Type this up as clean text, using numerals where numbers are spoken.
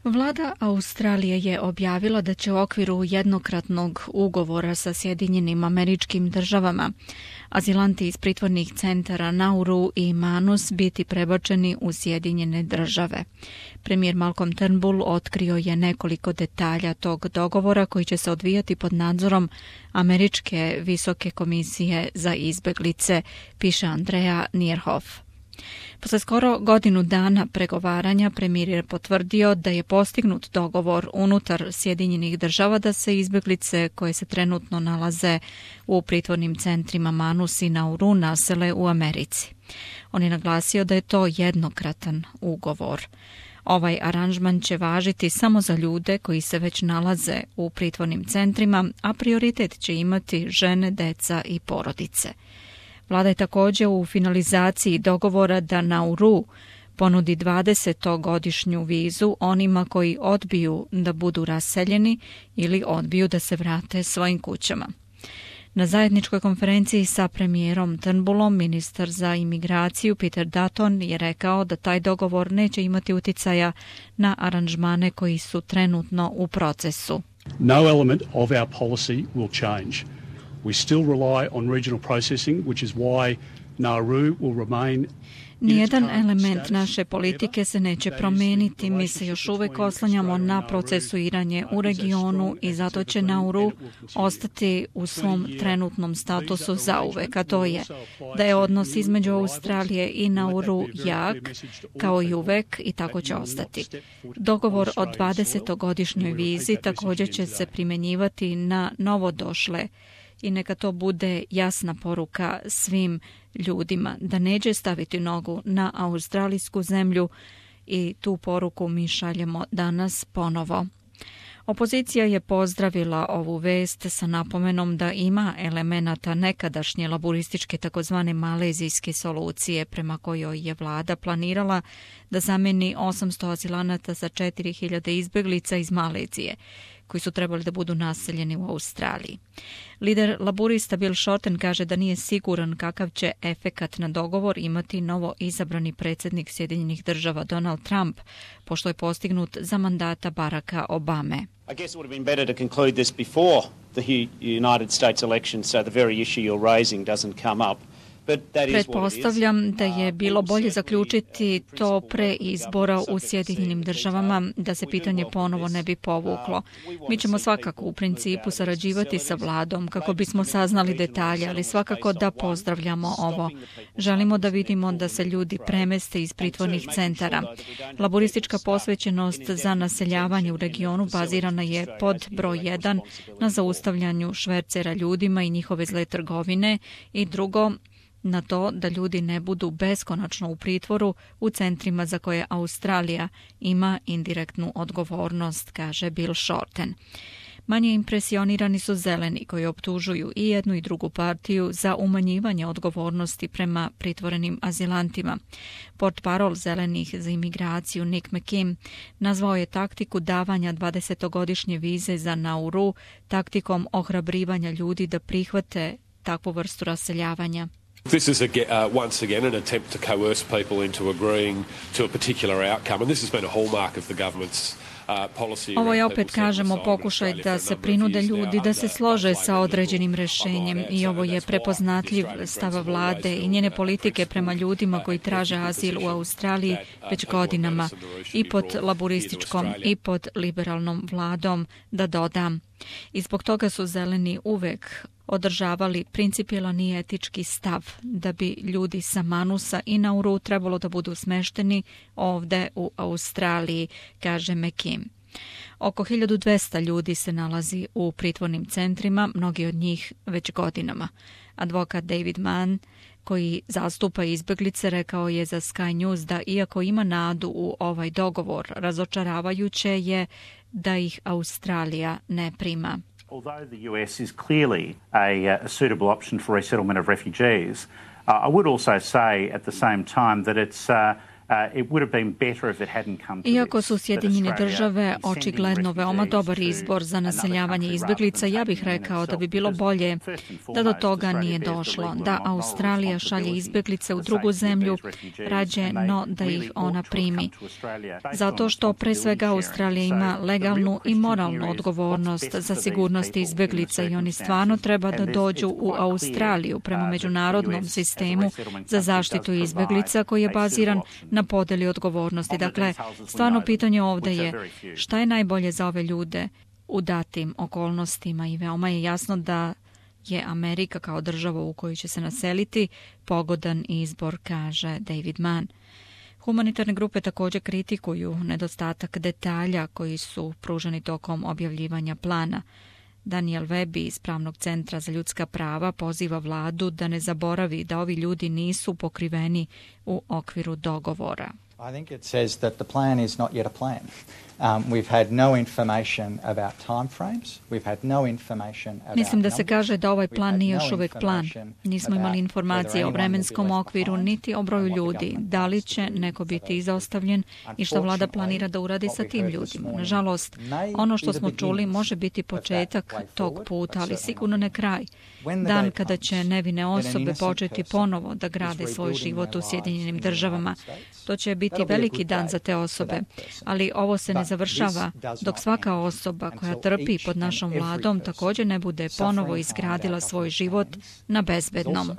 Vlada Australije je objavila da će u okviru jednokratnog ugovora sa Sjedinjenim Američkim Državama azilanti iz pritvornih centara Nauru i Manus biti prebačeni u Sjedinjene Države. Premijer Malcolm Turnbull otkrio je nekoliko detalja tog dogovora koji će se odvijati pod nadzorom Američke visoke komisije za izbeglice, piše Andrea Nierhoff. Posle skoro godinu dana pregovaranja premijer je potvrdio da je postignut dogovor unutar Sjedinjenih Država da se izbeglice koje se trenutno nalaze u pritvornim centrima Manus i Nauru nasele u Americi. On je naglasio da je to jednokratan ugovor. Ovaj aranžman će važiti samo za ljude koji se već nalaze u pritvornim centrima, a prioritet će imati žene, deca i porodice. Vlada je također u finalizaciji dogovora da Nauru ponudi 20-godišnju vizu onima koji odbiju da budu raseljeni ili odbiju da se vrate svojim kućama. Na zajedničkoj konferenciji sa premijerom Turnbullom ministar za imigraciju Peter Dutton je rekao da taj dogovor neće imati uticaja na aranžmane koji su trenutno u procesu. No element of our policy will change. We still rely on regional processing, which is why Nauru will remain. Nijedan element naše politike se neće promijeniti. Mi se još uvijek oslanjamo na procesuiranje u regionu i zato će Nauru ostati u svom trenutnom statusu zauvek, a to je da je odnos između Australije i Nauru jak, kao i uvek, i tako će ostati. Dogovor o 20-godišnjoj vizi također će se primjenjivati na novodošle i neka to bude jasna poruka svim ljudima da neće staviti nogu na australijsku zemlju i tu poruku mi šaljemo danas ponovo. Opozicija je pozdravila ovu vest sa napomenom da ima elemenata nekadašnje laburističke takozvane malezijske solucije prema kojoj je vlada planirala da zameni 800 azilanata za 4000 izbeglica iz Malezije, koji su trebali da budu naseljeni u Australiji. Lider laburista Bill Shorten kaže da nije siguran kakav će efekat na dogovor imati novo izabrani predsjednik Sjedinjenih Država Donald Trump, pošto je postignut za mandata Baracka Obame. I guess it would have been better to conclude this before the United States election so the very issue you're raising doesn't come up. Pretpostavljam da je bilo bolje zaključiti to pre izbora u Sjedinjenim Državama, da se pitanje ponovo ne bi povuklo. Mi ćemo svakako u principu sarađivati sa vladom kako bismo saznali detalje, ali svakako da pozdravljamo ovo. Želimo da vidimo da se ljudi premeste iz pritvornih centara. Laboristička posvećenost za naseljavanje u regionu bazirana je pod broj 1 na zaustavljanju švercera ljudima i njihove zle trgovine i drugo, na to da ljudi ne budu beskonačno u pritvoru u centrima za koje Australija ima indirektnu odgovornost, kaže Bill Shorten. Manje impresionirani su zeleni koji optužuju i jednu i drugu partiju za umanjivanje odgovornosti prema pritvorenim azilantima. Portparol zelenih za imigraciju Nick McKim nazvao je taktiku davanja 20-godišnje vize za Nauru taktikom ohrabrivanja ljudi da prihvate takvu vrstu raseljavanja. This is once again an attempt to coerce people into agreeing to a particular outcome, and this has been a hallmark of the government's policy. Ovo je opet, kažemo, pokušaj da se prinude ljudi da se slože sa određenim rješenjem i ovo je prepoznatljiv stav vlade i njene politike prema ljudima koji traže azil u Australiji već godinama i pod laburističkom i pod liberalnom vladom, da dodam. I zbog toga su zeleni uvek održavali principijelan i etički stav da bi ljudi sa Manusa i Nauru trebalo da budu smešteni ovde u Australiji, kaže McKim. Oko 1200 ljudi se nalazi u pritvornim centrima, mnogi od njih već godinama. Advokat David Mann, koji zastupa izbeglice, rekao je za Sky News da iako ima nadu u ovaj dogovor, razočaravajuće je da ih Australija ne prima. Although the US is clearly a suitable option for resettlement of refugees, I would also say at the same time that Iako su Sjedinjene države očigledno veoma dobar izbor za naseljavanje izbjeglica, ja bih rekao da bi bilo bolje da do toga nije došlo, da Australija šalje izbjeglice u drugu zemlju rađe no da ih ona primi. Zato što pre svega Australija ima legalnu i moralnu odgovornost za sigurnost izbjeglica i oni stvarno treba da dođu u Australiju prema međunarodnom sistemu za zaštitu izbjeglica koji je baziran na podeli odgovornosti. Dakle, stvarno pitanje ovdje je šta je najbolje za ove ljude u datim okolnostima i veoma je jasno da je Amerika kao država u kojoj će se naseliti pogodan izbor, kaže David Mann. Humanitarne grupe također kritikuju nedostatak detalja koji su pruženi tokom objavljivanja plana. Daniel Webb iz Pravnog centra za ljudska prava poziva vladu da ne zaboravi da ovi ljudi nisu pokriveni u okviru dogovora. I think it says that the plan is not yet a plan. We've had no information about timeframes. We've had no information about Mislim da se kaže da ovaj plan nije još uvijek plan. Nismo imali informacije o vremenskom okviru niti o broju ljudi, da li će neko biti izostavljen i što vlada planira da uradi sa tim ljudima. Nažalost, ono što smo čuli može biti početak tog puta, ali sigurno ne kraj. Dan kada će nevine osobe početi ponovo da grade svoj život u Sjedinjenim državama. To će biti veliki dan za te osobe, ali ovo se ne završava dok svaka osoba koja trpi pod našom vladom također ne bude ponovo izgradila svoj život na bezbednom.